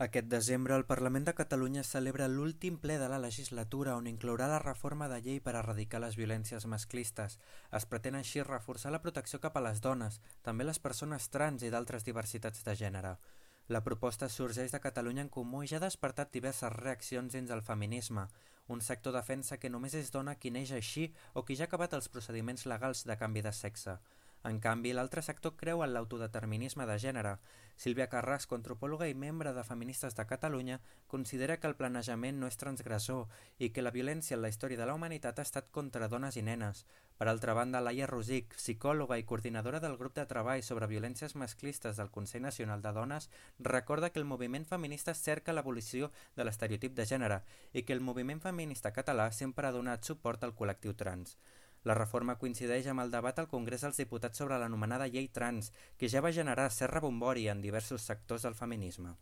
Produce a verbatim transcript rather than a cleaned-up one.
Aquest desembre el Parlament de Catalunya celebra l'últim ple de la legislatura on inclourà la reforma de llei per erradicar les violències masclistes. Es pretén així reforçar la protecció cap a les dones, també les persones trans i d'altres diversitats de gènere. La proposta sorgeix de Catalunya en Comú i ja ha despertat diverses reaccions dins el feminisme. Un sector defensa que només és dona qui neix així o qui ja ha acabat els procediments legals de canvi de sexe. En canvi, l'altre sector creu en l'autodeterminisme de gènere. Sílvia Carrasco, antropòloga i membre de Feministes de Catalunya, considera que el planejament no és transgressor i que la violència en la història de la humanitat ha estat contra dones i nenes. Per altra banda, Laia Rosic, psicòloga i coordinadora del grup de treball sobre violències masclistes del Consell Nacional de Dones, recorda que el moviment feminista cerca l'abolició de l'estereotip de gènere i que el moviment feminista català sempre ha donat suport al col·lectiu trans. La reforma coincideix amb el debat al Congrés dels Diputats sobre l'anomenada llei trans, que ja va generar cert rebombori en diversos sectors del feminisme.